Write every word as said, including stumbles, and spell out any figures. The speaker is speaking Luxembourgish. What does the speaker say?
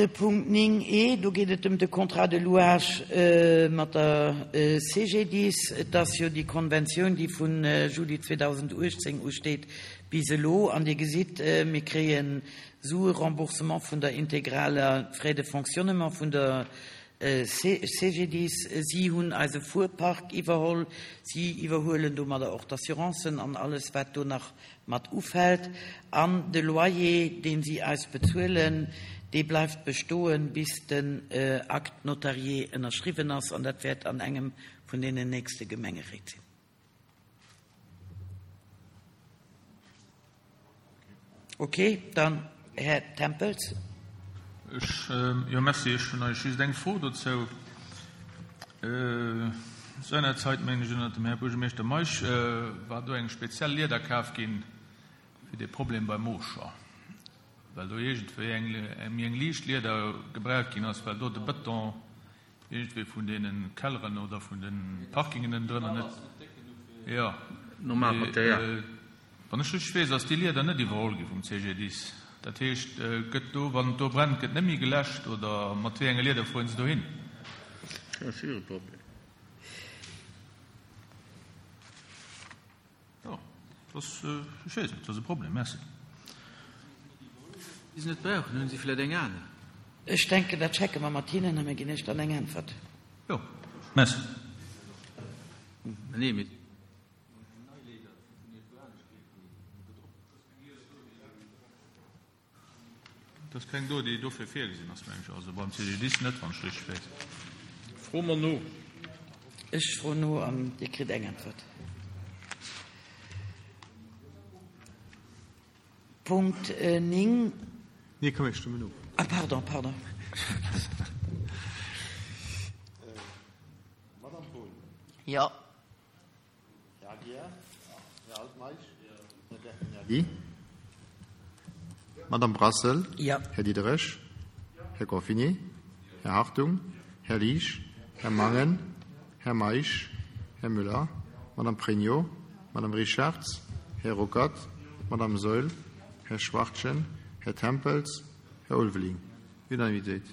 De Punkt néng e, do geet et ëm de Contrat de louage mat der C G D I S. Et ass jo déi Konventioun, déi vu Juli zweedausenduechtzéng usteet bis elo. An Dir gesitt, mir kréie Sue-Remboursement vun der integraler Frais de fonctionnement vun der C G D I S. Si hunn eise Fuerpark iwwerholl. Si iwwerhuelen domadder och d'Assurancen an alles, wat do nach mat ufält. An de Loyer, deen si eis bezuelen, dee bleift bestoen, bis den Acte notarié ënnerschriwwen ass, an dat wäert an engem vun deenen nächste Gemengeréit sinn. Okay, dann Här Tempels. Ech, jo, merci. Ech hunn eigentlech just eng Fro dozou. Seinerzeit, mengen ech, ënnert dem Här Buergermeeschter Meisch, war do eng speziell Lieder kaf ginn fir dee Problem beim Mooscher, well do iergendwéi eng méi eng liicht Lieder gebraucht ginn ass, well do de Bëton iergendwéi vun deene Kelleren oder vun de Parkingen ënnendrënner net, jo. Normal Material. Wann ech richteg weess, ass déi Lieder net iwwerholl gi vum C G D I S. Dat heescht, gëtt do, wann et do brennt, gëtt net méi geläscht oder mat wéi enge Lieder fueren se dohin? Dat ass hire Problem. Jo, dat ass, ech weess net, dat ass e Problem. Merci. Déi se net brauchen, hunn si vläicht eng aner. Ech denken, dat checke mer mat hinnen a mir ginn Iech dann eng Äntwert. Jo, merci. Nee, mee. Et ass keng do, déi dofir virgesinn ass, mengen ech. Also beim C G D I S net, wann ech richteg weess. Froe mer no. Ech froen no an Dir kritt eng Äntwert. Punkt néng. Nee, komm, mir stëmmen of. Ah, pardon, pardon. Madame Poull. Jo. Här Aguiar. Här Altmeisch. Här Bertagnoli. Madame Brassel. Jo. Här Diderich. Här Gorfini. Här Hartung. Här Liesch. Här Mangen. Här Meisch. Här Müller. Madame Pregno. Madame Richarz. Här Ruckert. Madame Saeul. Här Schwachtgen. Här Tempels. Här Ulveling. Unanimitéit.